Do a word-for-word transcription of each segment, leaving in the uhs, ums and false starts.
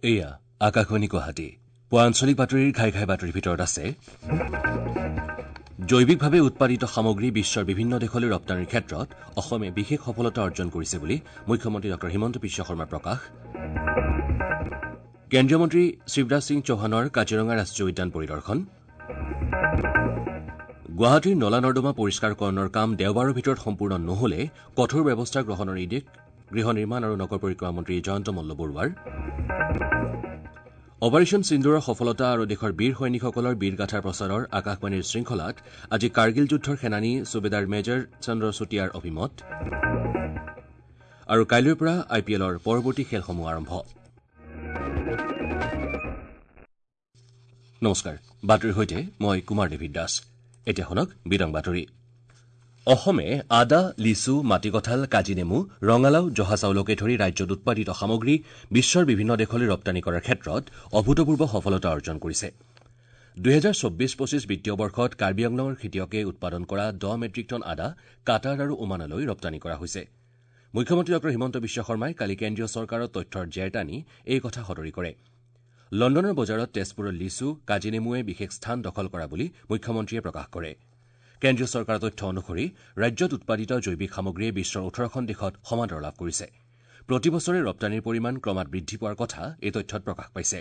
এয়া আকাশবাণী গুৱাহাটী। পুৱা আঞ্চলিক বাতৰিৰ ঘাই ঘাই বাতৰিৰ ভিতৰত আছে জৈৱিকভাৱে উৎপাদিত সামগ্ৰী বিশ্বৰ বিভিন্ন দেশলৈ ৰপ্তানিৰ ক্ষেত্ৰত অসমে বিশেষ সফলতা অৰ্জন কৰিছে বুলি মুখ্যমন্ত্ৰী ডঃ হিমন্ত বিশ্ব শৰ্মাৰ প্ৰকাশ। কেন্দ্ৰীয় মন্ত্ৰী শিৱৰাজ সিং চৌহানৰ কাজিৰঙা ৰাষ্ট্ৰীয় উদ্যান পৰিদৰ্শন। গুৱাহাটীৰ নলা নৰ্দমা পৰিষ্কাৰকৰণৰ কাম দেওবাৰৰ ভিতৰত সম্পূৰ্ণ নহ'লে কঠোৰ ব্যৱস্থা গ্ৰহণৰ নিৰ্দেশ গৃহ নিৰ্মাণ আৰু নগৰ পৰিক্ৰমা মন্ত্ৰী জয়ন্ত মল্ল বৰুৱাৰ। অপাৰেশ্যন সিন্দুৰৰ সফলতা আৰু দেশৰ বীৰ সৈনিকসকলৰ বীৰগাথাৰ প্ৰচাৰৰ আকাশবাণীৰ শৃংখলাত আজি কাৰ্গিল যুদ্ধৰ সেনানী চুবেদাৰ মেজৰ চন্দ্ৰ চুতীয়াৰ অভিমত। আৰু কাইলৈৰ পৰা আই পি এলৰ পৰৱৰ্তী খেলসমূহ আৰম্ভ। নমস্কাৰ, বাতৰিৰ সৈতে মই কুমাৰ ডেভিড দাস। এতিয়া শুনক বিতং বাতৰি। অসমে আদা, লিচু, মাটিকঁঠাল, কাজিনেমু, ৰঙালাও, জহা চাউলকে ধৰি ৰাজ্যত উৎপাদিত সামগ্ৰী বিশ্বৰ বিভিন্ন দেশলৈ ৰপ্তানি কৰাৰ ক্ষেত্ৰত অভূতপূৰ্ব সফলতা অৰ্জন কৰিছে। দুহেজাৰ চৌব্বিছ পঁচিছ বিত্তীয় বৰ্ষত কাৰ্বি আংলঙৰ খেতিয়কে উৎপাদন কৰা দহ মেট্ৰিক টন আদা কাটাৰ আৰু ওমানলৈ ৰপ্তানি কৰা হৈছে। মুখ্যমন্ত্ৰী ডঃ হিমন্ত বিশ্ব শৰ্মাই কালি কেন্দ্ৰীয় চৰকাৰৰ তথ্যৰ জেৰ টানি এই কথা সদৰি কৰে। লণ্ডনৰ বজাৰত তেজপুৰৰ লিচু, কাজিনেমুৱে বিশেষ স্থান দখল কৰা বুলি মুখ্যমন্ত্ৰীয়ে প্ৰকাশ কৰে। কেন্দ্ৰীয় চৰকাৰৰ তথ্য অনুসৰি ৰাজ্যত উৎপাদিত জৈৱিক সামগ্ৰীয়ে বিশ্বৰ ওঠৰখন দেশত সমাদৰ লাভ কৰিছে। প্ৰতি বছৰে ৰপ্তানিৰ পৰিমাণ ক্ৰমাৎ বৃদ্ধি পোৱাৰ কথা এই তথ্যত প্ৰকাশ পাইছে।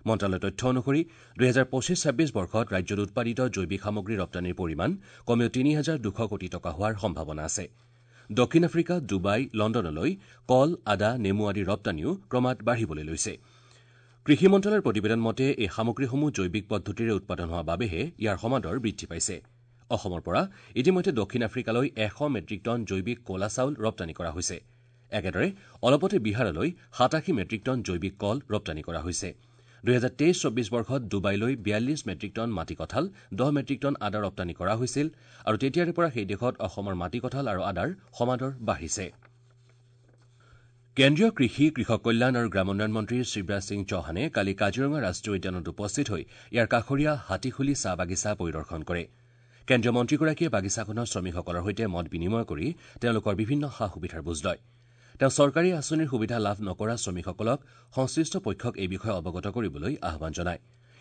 মন্ত্ৰালয়ৰ তথ্য অনুসৰি দুহেজাৰ পঁচিছ ছাব্বিছ বৰ্ষত ৰাজ্যত উৎপাদিত জৈৱিক সামগ্ৰী ৰপ্তানিৰ পৰিমাণ কমেও তিনি হাজাৰ দুশ কোটি টকা হোৱাৰ সম্ভাৱনা আছে। দক্ষিণ আফ্ৰিকা, ডুবাই, লণ্ডনলৈ কল, আদা, নেমু আদিৰ ৰপ্তানিও ক্ৰমাৎ বাঢ়িবলৈ লৈছে। কৃষি মন্ত্ৰালয়ৰ প্ৰতিবেদন মতে এই সামগ্ৰীসমূহ জৈৱিক পদ্ধতিৰে উৎপাদন হোৱা বাবেহে ইয়াৰ সমাদৰ বৃদ্ধি পাইছে। অসমৰ পৰা ইতিমধ্যে দক্ষিণ আফ্ৰিকালৈ এশ মেট্ৰিক টন জৈৱিক ক'লা চাউল ৰপ্তানি কৰা হৈছে। একেদৰে অলপতে বিহাৰলৈ সাতাশী মেট্ৰিক টন জৈৱিক কল ৰপ্তানি কৰা হৈছে। দুহেজাৰ তেইছ চৌব্বিছ বৰ্ষত ডুবাইলৈ বিয়াল্লিছ মেট্ৰিক টন মাটিকঁঠাল, দহ মেট্ৰিক টন আদা ৰপ্তানি কৰা হৈছিল আৰু তেতিয়াৰে পৰা সেই দেশত অসমৰ মাটিকঁঠাল আৰু আদাৰ সমাদৰ বাঢ়িছে। কেন্দ্ৰীয় কৃষি, কৃষক কল্যাণ আৰু গ্ৰামোন্নয়ন মন্ত্ৰী শিৱৰাজ সিং চৌহানে কালি কাজিৰঙা ৰাষ্ট্ৰীয় উদ্যানত উপস্থিত হৈ ইয়াৰ কাষৰীয়া হাতীখুলি চাহ বাগিচা পৰিদৰ্শন কৰে। কেন্দ্ৰীয় মন্ত্ৰীগৰাকীয়ে বাগিচাখনৰ শ্ৰমিকসকলৰ সৈতে মত বিনিময় কৰি তেওঁলোকৰ বিভিন্ন সা সুবিধাৰ বুজ লয়। তেওঁ চৰকাৰী আঁচনিৰ সুবিধা লাভ নকৰা শ্ৰমিকসকলক সংশ্লিষ্ট পক্ষক এই বিষয়ে অৱগত কৰিবলৈ আহ্বান জনায়।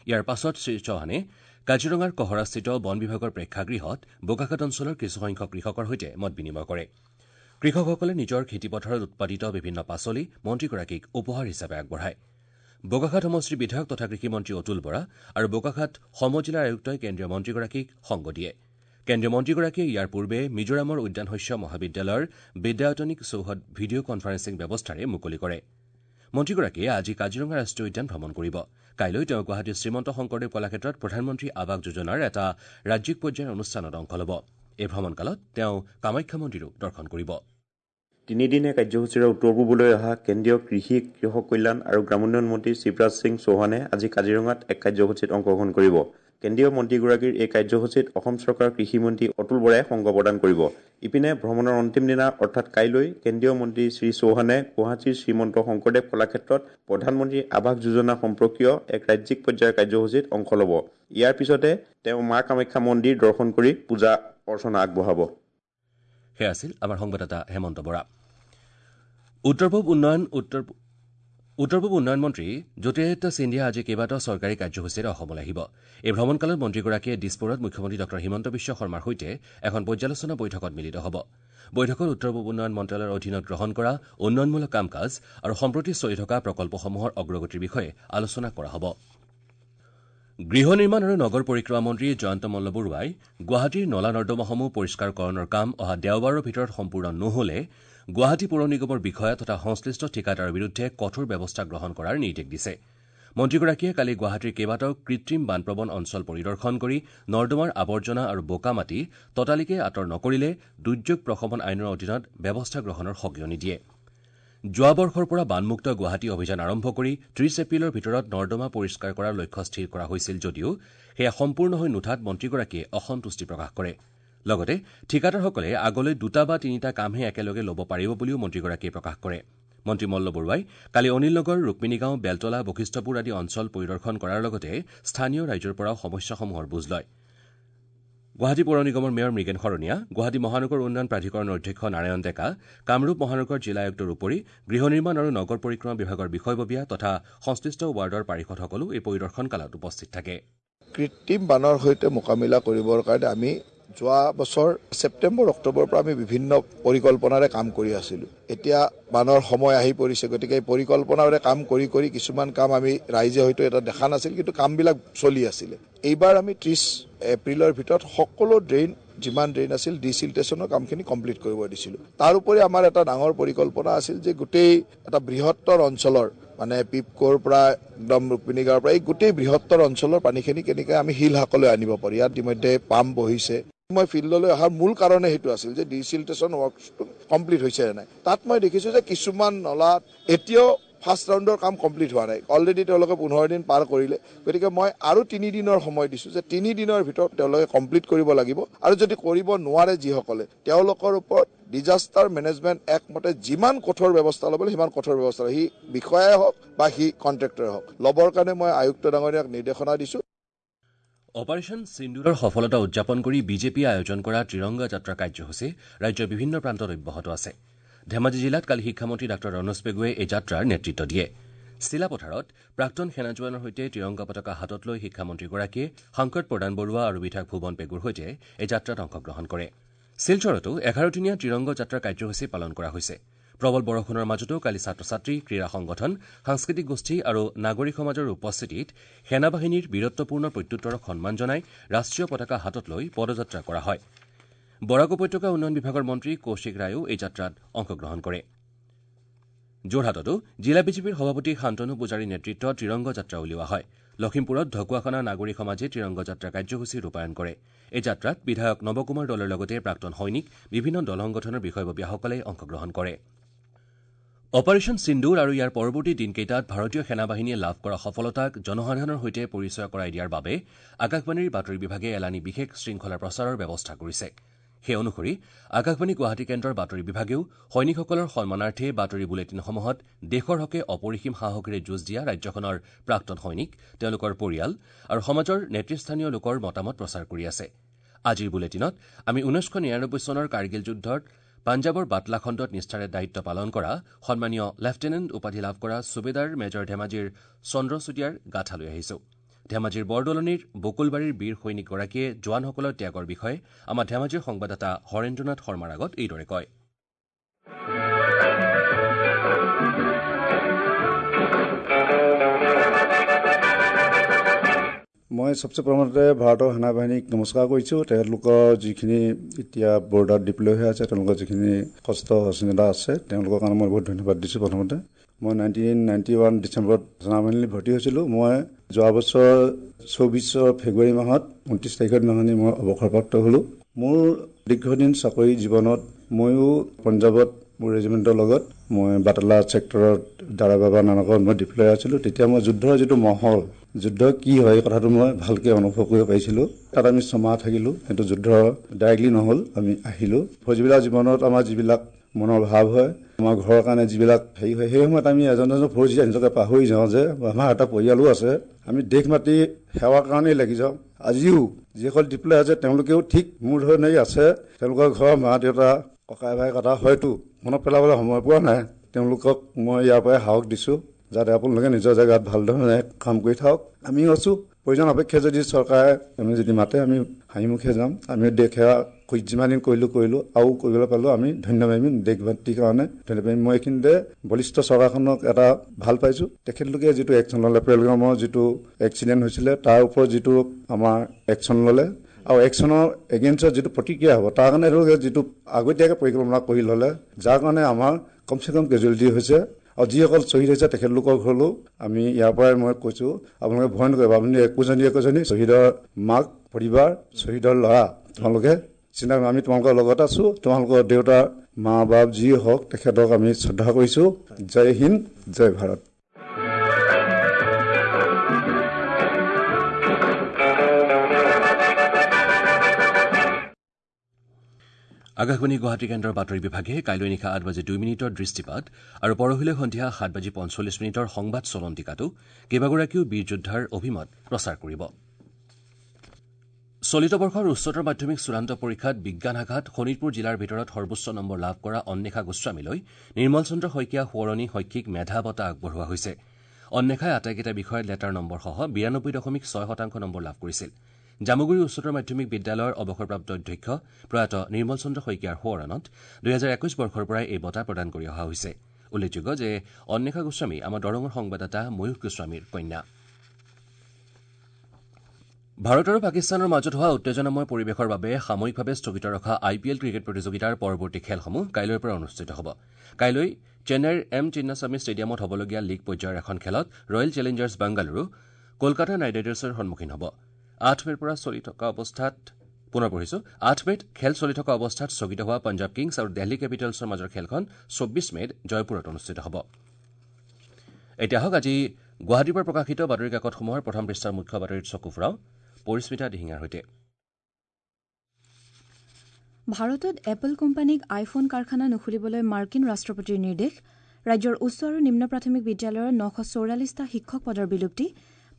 ইয়াৰ পাছত শ্ৰীচৌহানে কাজিৰঙাৰ কহৰাস্থিত বন বিভাগৰ প্ৰেক্ষাগৃহত বোকাখাত অঞ্চলৰ কিছুসংখ্যক কৃষকৰ সৈতে মত বিনিময় কৰে। কৃষকসকলে নিজৰ খেতিপথাৰত উৎপাদিত বিভিন্ন পাচলি মন্ত্ৰীগৰাকীক উপহাৰ হিচাপে আগবঢ়ায়। বোকাখাত সমষ্টিৰ বিধায়ক তথা কৃষিমন্ত্ৰী অতুল বৰা আৰু বোকাখাত সমজিলাৰ আয়ুক্তই কেন্দ্ৰীয় মন্ত্ৰীগৰাকীক সংগ দিয়ে। কেন্দ্ৰীয় মন্ত্ৰীগৰাকীয়ে ইয়াৰ পূৰ্বে মিজোৰামৰ উদ্যান শস্য মহাবিদ্যালয়ৰ বিদ্যায়তনিক চৌহদ ভিডিঅ' কনফাৰেন্সিং ব্যৱস্থাৰে মুকলি কৰে। মন্ত্ৰীগৰাকীয়ে আজি কাজিৰঙা ৰাষ্ট্ৰীয় উদ্যান ভ্ৰমণ কৰিব। কাইলৈ তেওঁ গুৱাহাটীৰ শ্ৰীমন্ত শংকৰদেৱ কলাক্ষেত্ৰত প্ৰধানমন্ত্ৰী আৱাস যোজনাৰ এটা ৰাজ্যিক পৰ্যায়ৰ অনুষ্ঠানত অংশ ল'ব। এই ভ্ৰমণকালত তেওঁ কামাখ্যা মন্দিৰো দৰ্শন কৰিব। তিনিদিনীয়া কাৰ্যসূচীৰে উত্তৰ পূবলৈ অহা কেন্দ্ৰীয় কৃষি, কৃষক কল্যাণ আৰু গ্ৰামোন্নয়ন মন্ত্ৰী শিৱৰাজ সিং চৌহানে আজি কাজিৰঙাত এক কাৰ্যসূচীত অংশগ্ৰহণ কৰিব। কেন্দ্ৰীয় মন্ত্ৰীগৰাকীৰ এই কাৰ্যসূচীত অসম চৰকাৰৰ কৃষিমন্ত্ৰী অতুল বৰাই সংগ প্ৰদান কৰিব। ইপিনে ভ্ৰমণৰ অন্তিম দিনা অৰ্থাৎ কাইলৈ কেন্দ্ৰীয় মন্ত্ৰী শ্ৰী চৌহানে গুৱাহাটীৰ শ্ৰীমন্ত শংকৰদেৱ কলাক্ষেত্ৰত প্ৰধানমন্ত্ৰী আৱাস যোজনা সম্পৰ্কীয় এক ৰাজ্যিক পৰ্যায়ৰ কাৰ্যসূচীত অংশ ল'ব। ইয়াৰ পিছতে তেওঁ মা কামাখ্যা মন্দিৰ দৰ্শন কৰি পূজা অৰ্চনা আগবঢ়াব। সেয়া আছিল আমাৰ সংবাদদাতা হেমন্ত বৰা। উত্তৰ পূব উন্নয়ন উত্তৰ উত্তৰ পূব উন্নয়ন মন্ত্ৰী জ্যোতিৰাদিত্য সিন্ধিয়া আজি কেইবাটাও চৰকাৰী কাৰ্যসূচীৰে অসমলৈ আহিব। এই ভ্ৰমণকালত মন্ত্ৰীগৰাকীয়ে দিছপুৰত মুখ্যমন্ত্ৰী ডঃ হিমন্ত বিশ্ব শৰ্মাৰ সৈতে এখন পৰ্যালোচনা বৈঠকত মিলিত হ'ব। বৈঠকত উত্তৰ পূব উন্নয়ন মন্ত্ৰালয়ৰ অধীনত গ্ৰহণ কৰা উন্নয়নমূলক কাম কাজ আৰু সম্প্ৰতি চলি থকা প্ৰকল্পসমূহৰ অগ্ৰগতিৰ বিষয়ে আলোচনা কৰা হ'ব। গৃহ নিৰ্মাণ আৰু নগৰ পৰিক্ৰমা মন্ত্ৰী জয়ন্ত মল্ল বৰুৱাই গুৱাহাটীৰ নলা নৰ্দমাসমূহ পৰিষ্কাৰকৰণৰ কাম অহা দেওবাৰৰ ভিতৰত সম্পূৰ্ণ নহ'লে গুৱাহাটী পৌৰ নিগমৰ বিষয়া তথা সংশ্লিষ্ট ঠিকাদাৰৰ বিৰুদ্ধে কঠোৰ ব্যৱস্থা গ্ৰহণ কৰাৰ নিৰ্দেশ দিছে। মন্ত্ৰীগৰাকীয়ে কালি গুৱাহাটীৰ কেইবাটাও কৃত্ৰিম বানপ্ৰৱণ অঞ্চল পৰিদৰ্শন কৰি নৰ্দমাৰ আৱৰ্জনা আৰু বোকা মাটি ততালিকে আঁতৰ নকৰিলে দুৰ্যোগ প্ৰশমন আইনৰ অধীনত ব্যৱস্থা গ্ৰহণৰ সকিয়নি দিয়ে। যোৱা বৰ্ষৰ পৰা বানমুক্ত গুৱাহাটী অভিযান আৰম্ভ কৰি ত্ৰিশ এপ্ৰিলৰ ভিতৰত নৰ্দমা পৰিষ্কাৰ কৰাৰ লক্ষ্য স্থিৰ কৰা হৈছিল যদিও সেয়া সম্পূৰ্ণ হৈ নুঠাত মন্ত্ৰীগৰাকীয়ে অসন্তুষ্টি প্ৰকাশ কৰে। লগতে ঠিকাদাৰসকলে আগলৈ দুটা বা তিনিটা কামহে একেলগে ল'ব পাৰিব বুলিও মন্ত্ৰীগৰাকীয়ে প্ৰকাশ কৰে। মন্ত্ৰী মল্ল বৰুৱাই কালি অনিল নগৰ, ৰুক্মিণীগাঁও, বেলতলা, বশিষ্ঠপুৰ আদি অঞ্চল পৰিদৰ্শন কৰাৰ লগতে স্থানীয় ৰাইজৰ পৰাও সমস্যাসমূহৰ বুজ লয়। গুৱাহাটী পৌৰ নিগমৰ মেয়ৰ মৃগেন শৰণীয়া, গুৱাহাটী মহানগৰ উন্নয়ন প্ৰাধিকৰণৰ অধ্যক্ষ নাৰায়ণ ডেকা, কামৰূপ মহানগৰ জিলা আয়ুক্তৰ উপৰি গৃহ নিৰ্মাণ আৰু নগৰ পৰিক্ৰমা বিভাগৰ বিষয়ববীয়া তথা সংশ্লিষ্ট ৱাৰ্ডৰ পাৰিষদসকলো এই পৰিদৰ্শন কালত উপস্থিত থাকে। কৃত্ৰিম বানৰ সৈতে মোকাবিলা কৰিবৰ কাৰণে আমি যোৱা বছৰ ছেপ্টেম্বৰ অক্টোবৰৰ পৰা আমি বিভিন্ন পৰিকল্পনাৰে কাম কৰি আছিলোঁ। এতিয়া বানৰ সময় আহি পৰিছে, গতিকে এই পৰিকল্পনাৰে কাম কৰি কৰি কিছুমান কাম আমি ৰাইজে হয়তো এটা দেখা নাছিল, কিন্তু কামবিলাক চলি আছিলে। এইবাৰ আমি ত্ৰিছ এপ্ৰিলৰ ভিতৰত সকলো ড্ৰেইন, যিমান ড্ৰেইন আছিল, ডিচিল্টেশ্যনৰ কামখিনি কমপ্লিট কৰিব দিছিলোঁ। তাৰোপৰি আমাৰ এটা ডাঙৰ পৰিকল্পনা আছিল যে গোটেই এটা বৃহত্তৰ অঞ্চলৰ, মানে পিপকোৰ পৰা একদম ৰুক্মিণী গাঁৱৰ পৰা এই গোটেই বৃহত্তৰ অঞ্চলৰ পানীখিনি কেনেকৈ আমি শিলশাকলৈ আনিব পাৰোঁ। ইয়াত ইতিমধ্যে পাম্প বহিছে। মই ফিল্ডলৈ অহাৰ মূল কাৰণে সেইটো আছিল যে ডিচিল্টেশ্যন ৱৰ্কটো কমপ্লিট হৈছে নে নাই। তাত মই দেখিছোঁ যে কিছুমান নলাত এতিয়াও ফাৰ্ষ্ট ৰাউণ্ডৰ কাম কমপ্লিট হোৱা নাই। অলৰেডি তেওঁলোকে পোন্ধৰ দিন পাৰ কৰিলে, গতিকে মই আৰু তিনিদিনৰ সময় দিছোঁ যে তিনিদিনৰ ভিতৰত তেওঁলোকে কমপ্লিট কৰিব লাগিব। আৰু যদি কৰিব নোৱাৰে যিসকলে, তেওঁলোকৰ ওপৰত ডিজাষ্টাৰ মেনেজমেণ্ট এক্ট মতে যিমান কঠোৰ ব্যৱস্থা ল'ব সিমান কঠোৰ ব্যৱস্থা, সি বিষয়াই হওক বা সি কণ্ট্ৰেক্টৰে হওক, ল'বৰ কাৰণে মই আয়ুক্ত ডাঙৰীয়াক নিৰ্দেশনা দিছোঁ। অপাৰেশ্যন সিন্দুৰৰ সফলতা উদযাপন কৰি বিজেপিয়ে আয়োজন কৰা ত্ৰিৰংগা যাত্ৰা কাৰ্যসূচী ৰাজ্যৰ বিভিন্ন প্ৰান্তত অব্যাহত আছে। ধেমাজি জিলাত কালি শিক্ষামন্ত্ৰী ডাঃ ৰণোজ পেগুৱে এই যাত্ৰাৰ নেতৃত্ব দিয়ে। চিলাপথাৰত প্ৰাক্তন সেনা জোৱানৰ সৈতে ত্ৰিৰংগা পতাকা হাতত লৈ শিক্ষামন্ত্ৰীগৰাকীয়ে সাংসদ প্ৰদান বৰুৱা আৰু বিধায়ক ভুৱন পেগুৰ সৈতে এই যাত্ৰাত অংশগ্ৰহণ কৰে। শিলচৰতো এঘাৰদিনীয়া ত্ৰিৰংগ যাত্ৰা কাৰ্যসূচী পালন কৰা হৈছে। প্ৰবল বৰষুণৰ মাজতো কালি ছাত্ৰ ছাত্ৰী, ক্ৰীড়া সংগঠন, সাংস্কৃতিক গোষ্ঠী আৰু নাগৰিক সমাজৰ উপস্থিতিত সেনাবাহিনীৰ বীৰত্বপূৰ্ণ প্ৰত্যুত্তৰক সন্মান জনাই ৰাষ্ট্ৰীয় পতাকা হাতত লৈ পদযাত্ৰা কৰা হয়। বৰাক উপত্যকা উন্নয়ন বিভাগৰ মন্ত্ৰী কৌশিক ৰায়েও এই যাত্ৰাত অংশগ্ৰহণ কৰে। যোৰহাটতো জিলা বিজেপিৰ সভাপতি শান্তনু পূজাৰীৰ নেতৃত্বত ত্ৰিৰংগ যাত্ৰা উলিওৱা হয়। লখিমপুৰত ঢকুৱাখনা নাগৰিক সমাজে ত্ৰিৰংগ যাত্ৰা কাৰ্যসূচী ৰূপায়ণ কৰে। এই যাত্ৰাত বিধায়ক নৱকুমাৰ দলৰ লগতে প্ৰাক্তন সৈনিক, বিভিন্ন দল সংগঠনৰ বিষয়ববীয়াসকলে অংশগ্ৰহণ কৰে। অপাৰেশ্যন সিন্দুৰ আৰু ইয়াৰ পৰৱৰ্তী দিনকেইটাত ভাৰতীয় সেনাবাহিনীয়ে লাভ কৰা সফলতাক জনসাধাৰণৰ সৈতে পৰিচয় কৰাই দিয়াৰ বাবে আকাশবাণীৰ বাতৰি বিভাগে এলানি বিশেষ শৃংখলা প্ৰচাৰৰ ব্যৱস্থা কৰিছে। সেই অনুসৰি আকাশবাণী গুৱাহাটী কেন্দ্ৰৰ বাতৰি বিভাগেও সৈনিকসকলৰ সন্মানাৰ্থে বাতৰি বুলেটিনসমূহত দেশৰ হকে অপৰিসীম সাহসেৰে যুঁজ দিয়া ৰাজ্যখনৰ প্ৰাক্তন সৈনিক, তেওঁলোকৰ পৰিয়াল আৰু সমাজৰ নেতৃস্থানীয় লোকৰ মতামত প্ৰচাৰ কৰি আছে। আজিৰ বুলেটিনত আমি ঊনৈছশ নিৰানব্বৈ চনৰ কাৰ্গিল যুদ্ধত পাঞ্জাৱৰ বাটলা খণ্ডত নিষ্ঠাৰে দায়িত্ব পালন কৰা সন্মানীয় লেফটেনেণ্ট উপাধি লাভ কৰা চুবেদাৰ মেজৰ ধেমাজিৰ চন্দ্ৰ চুতীয়াৰ গাথা লৈ আহিছো। ধেমাজিৰ বৰদলনিৰ বকুলবাৰীৰ বীৰ সৈনিকগৰাকীয়ে জোৱানসকলৰ ত্যাগৰ বিষয়ে আমাৰ ধেমাজিৰ সংবাদদাতা হৰেন্দ্ৰনাথ শৰ্মাৰ আগত এইদৰে কয়। মই চবচে প্ৰথমতে ভাৰতৰ সেনাবাহিনীক নমস্কাৰ কৰিছোঁ। তেওঁলোকৰ যিখিনি এতিয়া বৰ্ডাৰত ডিপ্লয় হৈ আছে, তেওঁলোকৰ যিখিনি কষ্ট সহিষ্ণুতা আছে, তেওঁলোকৰ কাৰণে মই বহুত ধন্যবাদ দিছোঁ। প্ৰথমতে মই নাইনটিন নাইণ্টি ওৱান ডিচেম্বৰত সেনাবাহিনীত ভৰ্তি হৈছিলোঁ। মই যোৱা বছৰ চৌবিছৰ ফেব্ৰুৱাৰী মাহত ঊনত্ৰিছ তাৰিখৰ দিনাখনি মই অৱসৰপ্ৰাপ্ত হ'লোঁ। মোৰ দীৰ্ঘদিন চাকৰি জীৱনত ময়ো পঞ্জাৱত মোৰ ৰেজিমেণ্টৰ লগত মই বাটালা ছেক্টৰত দাৰা বাবা নানকত মই ডিপ্লয় আছিলোঁ। তেতিয়া মই যুদ্ধৰ যিটো মহল, যুদ্ধ কি হয় এই কথাটো মই ভালকৈ অনুভৱ কৰিব পাৰিছিলোঁ। তাত আমি ছমাহ থাকিলোঁ, কিন্তু যুদ্ধ ডাইৰেক্টলি নহ'ল, আমি আহিলোঁ। ফৌজবিলাক জীৱনত আমাৰ যিবিলাক মনৰ ভাৱ হয়, আমাৰ ঘৰৰ কাৰণে যিবিলাক হেৰি হয়, সেই সময়ত আমি এজন এজন ফৌজী নিজকে পাহৰি যাওঁ যে আমাৰ এটা পৰিয়ালো আছে, আমি দেশ মাতি সেৱাৰ কাৰণেই লাগি যাওঁ। আজিও যিসকল ডিপ্লয় আছে তেওঁলোকেও ঠিক মোৰ ধৰণেই আছে। তেওঁলোকৰ ঘৰৰ মা দেউতা ককাই ভাই কথা হয়তো মনত পেলাবলৈ সময় পোৱা নাই, তেওঁলোকক মই ইয়াৰ পৰাই সাহস দিছোঁ যাতে আপোনালোকে নিজৰ জেগাত ভাল ধৰণে কাম কৰি থাকক। আমিও আছোঁ, প্ৰয়োজন অপেক্ষা যদি চৰকাৰে আমি যদি মাতে আমি হাঁহিমুখে যাম। আমি দেশ সেৱা যিমান দিন কৰিলোঁ কৰিলোঁ আৰু কৰিবলৈ পালোঁ আমি ধন্য মানিম দেশ মাতৃৰ কাৰণে ধন্য মানিম। মই এইখিনিতে বলিষ্ঠ চৰকাৰখনক এটা ভাল পাইছোঁ, তেখেতলোকে যিটো একশ্যন ল'লে, পেলগামৰ যিটো এক্সিডেণ্ট হৈছিলে তাৰ ওপৰত যিটো আমাৰ একশ্যন ল'লে আৰু একশ্যনৰ এগেইনষ্টত যিটো প্ৰতিক্ৰিয়া হ'ব তাৰ কাৰণে তেওঁলোকে যিটো আগতীয়াকৈ পৰিকল্পনা কৰি ল'লে, যাৰ কাৰণে আমাৰ কমচে কম কেজুৱেলিটি হৈছে। আৰু যিসকল শ্বহীদ হৈছে তেখেতলোকৰ ঘৰলৈও আমি ইয়াৰ পৰাই মই কৈছোঁ, আপোনালোকে ভয় নকৰিব, আপুনি একোজনী একোজনী শ্বহীদৰ মাক পৰিবাৰ, শ্বহীদৰ ল'ৰা, তোমালোকে চিন্তা, আমি তোমালোকৰ লগত আছোঁ। তোমালোকৰ দেউতা মা বাপ যি হওক তেখেতক আমি শ্ৰদ্ধা কৰিছোঁ। জয় হিন্দ, জয় ভাৰত। আকাশবাণী গুৱাহাটী কেন্দ্ৰৰ বাতৰি বিভাগে কাইলৈ নিশা আঠ বাজি দুই মিনিটৰ দৃষ্টিপাত আৰু পৰহিলৈ সন্ধিয়া সাত বাজি পঞ্চল্লিছ মিনিটৰ সংবাদ চলন্তিকাতো কেইবাগৰাকীও বীৰ যোদ্ধাৰ অভিমত প্ৰচাৰ কৰিব। চলিত বৰ্ষৰ উচ্চতৰ মাধ্যমিক চূড়ান্ত পৰীক্ষাত বিজ্ঞান শাখাত শোণিতপুৰ জিলাৰ ভিতৰত সৰ্বোচ্চ নম্বৰ লাভ কৰা অন্বেষা গোস্বামীলৈ নিৰ্মল চন্দ্ৰ শইকীয়া সোঁৱৰণী শৈক্ষিক মেধা বঁটা আগবঢ়োৱা হৈছে। অন্বেষাই আটাইকেইটা বিষয়ত লেটাৰ নম্বৰসহ বিৰানব্বৈ দশমিক ছয় শতাংশ নম্বৰ লাভ কৰিছিল। জামুগুৰি উচ্চতৰ মাধ্যমিক বিদ্যালয়ৰ অৱসৰপ্ৰাপ্ত অধ্যক্ষ প্ৰয়াত নিৰ্মল চন্দ্ৰ শইকীয়াৰ সোঁৱৰণত দুহেজাৰ একৈশ বৰ্ষৰ পৰাই এই বঁটা প্ৰদান কৰি অহা হৈছে। উল্লেখযোগ্য যে অন্বেষা গোস্বামী আমাৰ দৰঙৰ সংবাদদাতা ময়ূখ গোস্বামীৰ কন্যা। ভাৰত আৰু পাকিস্তানৰ মাজত হোৱা উত্তেজনাময় পৰিৱেশৰ বাবে সাময়িকভাৱে স্থগিত ৰখা আই পি এল ক্ৰিকেট প্ৰতিযোগিতাৰ পৰৱৰ্তী খেলসমূহ কাইলৈৰ পৰা অনুষ্ঠিত হ'ব। কাইলৈ চেন্নাইৰ এম চিন্নাস্বামী ষ্টেডিয়ামত হ'বলগীয়া লীগ পৰ্যায়ৰ এখন খেলত Royal Challengers Bengaluru Kolkata Knight ৰাইডাৰ্ছৰ সন্মুখীন হ'ব। আঠ মে'ৰ পৰা চলি থকা অৱস্থাত পুনৰ পঢ়িছো আঠ মে'ত খেল চলি থকা অৱস্থাত স্থগিত হোৱা পঞ্জাৱ কিংছ আৰু দিল্লী কেপিটেলছৰ মাজৰ খেলখন চৌব্বিছ মে'ত জয়পুৰত অনুষ্ঠিত হ'ব। এতিয়া হওক আজি গুৱাহাটীৰ পৰা প্ৰকাশিত বাতৰি কাকতসমূহৰ প্ৰথম পৃষ্ঠাৰ মুখ্য বাতৰিত চকু ফুৰাওঁ পৰিস্মিতা দিহিঙাৰ সৈতে। ভাৰতত এপল কোম্পানীক আইফোন কাৰখানা নুখুলিবলৈ মাৰ্কিন ৰাষ্ট্ৰপতিৰ নিৰ্দেশ। ৰাজ্যৰ উচ্চ আৰু নিম্ন প্ৰাথমিক বিদ্যালয়ৰ নশ চৌৰাল্লিছটা শিক্ষক পদৰ বিলুপ্তি।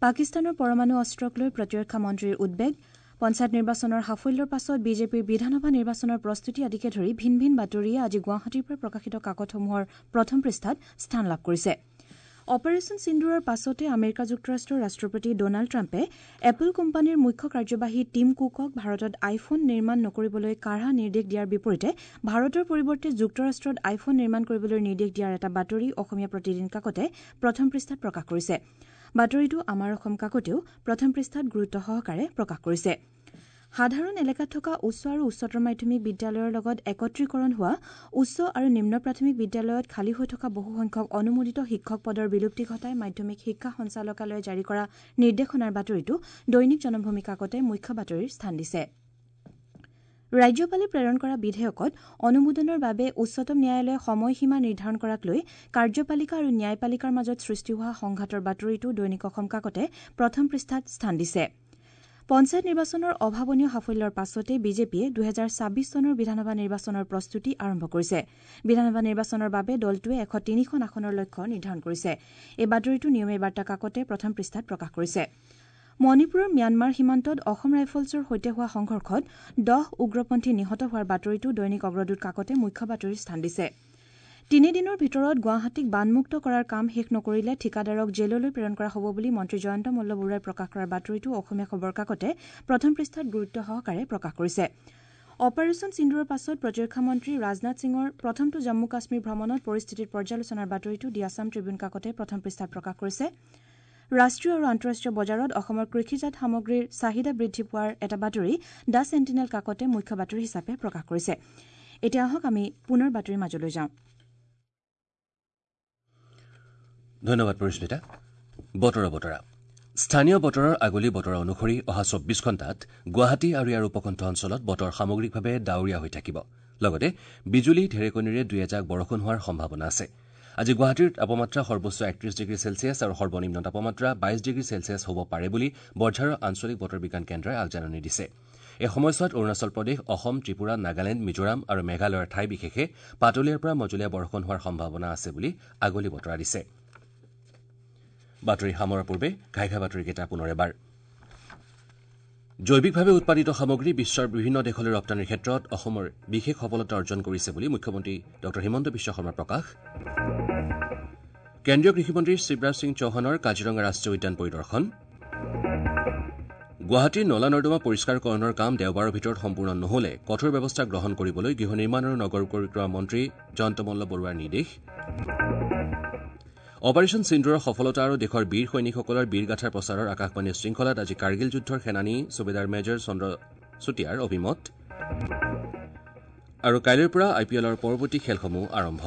পাকিস্তানৰ পৰমাণু অস্ত্ৰক লৈ প্ৰতিৰক্ষা মন্ত্ৰীৰ উদ্বেগ। পঞ্চায়ত নিৰ্বাচনৰ সাফল্যৰ পাছত বিজেপিৰ বিধানসভা নিৰ্বাচনৰ প্ৰস্তুতি আদিকে ধৰি ভিন ভিন বাতৰিয়ে আজি গুৱাহাটীৰ পৰা প্ৰকাশিত কাকতসমূহৰ প্ৰথম পৃষ্ঠাত স্থান লাভ কৰিছে। অপাৰেচন সিন্দুৰৰ পাছতে আমেৰিকা যুক্তৰাষ্ট্ৰৰ ৰাষ্ট্ৰপতি ডনাল্ড ট্ৰাম্পে এপল কোম্পানীৰ মুখ্য কাৰ্যবাহী টিম কুকক ভাৰতত আইফোন নিৰ্মাণ নকৰিবলৈ কাঢ়া নিৰ্দেশ দিয়াৰ বিপৰীতে ভাৰতৰ পৰিৱৰ্তে যুক্তৰাষ্ট্ৰত আইফোন নিৰ্মাণ কৰিবলৈ নিৰ্দেশ দিয়াৰ এটা বাতৰি অসমীয়া প্ৰতিদিন কাকতে প্ৰথম পৃষ্ঠাত প্ৰকাশ কৰিছে। বাতৰিটো আমাৰ অসম কাকতেও প্ৰথম পৃষ্ঠাত গুৰুত্ব সহকাৰে প্ৰকাশ কৰিছে। সাধাৰণ এলেকাত থকা উচ্চ আৰু উচ্চতৰ মাধ্যমিক বিদ্যালয়ৰ লগত একত্ৰীকৰণ হোৱা উচ্চ আৰু নিম্ন প্ৰাথমিক বিদ্যালয়ত খালী হৈ থকা বহুসংখ্যক অনুমোদিত শিক্ষক পদৰ বিলুপ্তি ঘটাই মাধ্যমিক শিক্ষা সঞ্চালকালয়ে জাৰি কৰা নিৰ্দেশনাৰ বাতৰিটো দৈনিক জনমভূমি কাকতে মুখ্য বাতৰিৰ স্থান দিছে। ৰাজ্যপালে প্ৰেৰণ কৰা বিধেয়কত অনুমোদনৰ বাবে উচ্চতম ন্যায়ালয়ে সময়সীমা নিৰ্ধাৰণ কৰাক লৈ কাৰ্যপালিকা আৰু ন্যায়পালিকাৰ মাজত সৃষ্টি হোৱা সংঘাতৰ বাতৰিটো দৈনিক অসম কাকতে প্ৰথম পৃষ্ঠাত স্থান দিছে। পঞ্চায়ত নিৰ্বাচনৰ অভাৱনীয় সাফল্যৰ পাছতে বিজেপিয়ে দুহেজাৰ ছাব্বিছ চনৰ বিধানসভা নিৰ্বাচনৰ প্ৰস্তুতি আৰম্ভ কৰিছে। বিধানসভা নিৰ্বাচনৰ বাবে দলটোৱে এশ তিনিখন আসনৰ লক্ষ্য নিৰ্ধাৰণ কৰিছে। এই বাতৰিটো নিয়মীয়া বাৰ্তা কাকতে প্ৰথম পৃষ্ঠাত প্ৰকাশ কৰিছে। মণিপুৰৰ ম্যানমাৰ সীমান্তত অসম ৰাইফলছৰ সৈতে হোৱা সংঘৰ্ষত দহ উগ্ৰপন্থী নিহত হোৱাৰ বাতৰিটো দৈনিক অগ্ৰদূত কাকতে মুখ্য বাতৰিৰ স্থান দিছে। তিনিদিনৰ ভিতৰত গুৱাহাটীক বানমুক্ত কৰাৰ কাম শেষ নকৰিলে ঠিকাদাৰক জেললৈ প্ৰেৰণ কৰা হ'ব বুলি মন্ত্ৰী জয়ন্ত মল্ল বৰুৱাই প্ৰকাশ কৰাৰ বাতৰিটো অসমীয়া খবৰ কাকতে প্ৰথম পৃষ্ঠাত গুৰুত্ব সহকাৰে প্ৰকাশ কৰিছে। অপাৰেচন সিন্দুৰৰ পাছত প্ৰতিৰক্ষা মন্ত্ৰী ৰাজনাথ সিঙৰ প্ৰথমটো জম্মু কাশ্মীৰ ভ্ৰমণত পৰিস্থিতিৰ পৰ্যালোচনাৰ বাতৰিটো দি আছাম ট্ৰিবিউন কাকতে প্ৰথম পৃষ্ঠাত প্ৰকাশ কৰিছে। ৰাষ্ট্ৰীয় আৰু আন্তঃৰাষ্ট্ৰীয় বজাৰত অসমৰ কৃষিজাত সামগ্ৰীৰ চাহিদা বৃদ্ধি পোৱাৰ এটা বাতৰি the sentinel কাকতে মুখ্য বাতৰি হিচাপে প্ৰকাশ কৰিছে। এতিয়া আহক আমি পুনৰ বাতৰিৰ মাজলৈ যাওঁ। ধন্যবাদ পৰিস্মিতা। বতৰৰ বতৰা। স্থানীয় বতৰৰ আগলি বতৰা অনুসৰি অহা চৌব্বিছ ঘণ্টাত গুৱাহাটী আৰু ইয়াৰ উপকণ্ঠ অঞ্চলত বতৰ সামগ্ৰিকভাৱে ডাৱৰীয়া হৈ থাকিব। লগতে বিজুলী ঢেৰেকনিৰে দুই এজাক বৰষুণ হোৱাৰ সম্ভাৱনা আছে। আজি গুৱাহাটীৰ তাপমাত্ৰা সৰ্বোচ্চ একত্ৰিশ ডিগ্ৰী চেলছিয়াছ আৰু সৰ্বনিম্ন তাপমাত্ৰা বাইশ ডিগ্ৰী চেলছিয়াছ হ'ব পাৰে বুলি বৰঝাৰৰ আঞ্চলিক বতৰ বিজ্ঞান কেন্দ্ৰই আগজাননী দিছে। এই সময়ছোৱাত অৰুণাচল প্ৰদেশ, অসম, ত্ৰিপুৰা, নাগালেণ্ড, মিজোৰাম আৰু মেঘালয়ৰ ঠাই বিশেষে পাতলীয়াৰ পৰা মজলীয়া বৰষুণ হোৱাৰ সম্ভাৱনা আছে বুলি আগলি বতৰা দিছে। বাতৰি সামৰাৰ পূৰ্বে ঘাই ঘাই বাতৰিকেইটা পুনৰ এবাৰ। জৈৱিকভাৱে উৎপাদিত সামগ্ৰী বিশ্বৰ বিভিন্ন দেশলৈ ৰপ্তানিৰ ক্ষেত্ৰত অসমৰ বিশেষ সফলতা অৰ্জন কৰিছে বুলি মুখ্যমন্ত্ৰী ডঃ হিমন্ত বিশ্ব শৰ্মাৰ প্ৰকাশ। কেন্দ্ৰীয় কৃষিমন্ত্ৰী শিৱৰাজ সিং চৌহানৰ কাজিৰঙা ৰাষ্ট্ৰীয় উদ্যান পৰিদৰ্শন। গুৱাহাটীৰ নলা নৰ্দমা পৰিষ্কাৰকৰণৰ কাম দেওবাৰৰ ভিতৰত সম্পূৰ্ণ নহ'লে কঠোৰ ব্যৱস্থা গ্ৰহণ কৰিবলৈ গৃহ নিৰ্মাণ আৰু নগৰ পৰিক্ৰমা মন্ত্ৰী জয়ন্ত মল্ল বৰুৱাৰ নিৰ্দেশ। অপাৰেচন সিন্দুৰৰ সফলতা আৰু দেশৰ বীৰ সৈনিকসকলৰ বীৰগাথাৰ প্ৰচাৰৰ আকাশবাণীৰ শৃংখলাত আজি কাৰ্গিল যুদ্ধৰ সেনানী চুবেদাৰ মেজৰ চন্দ্ৰ চুতীয়াৰ অভিমত। আৰু কাইলৈৰ পৰা আই পি এলৰ পৰৱৰ্তী খেলসমূহ আৰম্ভ।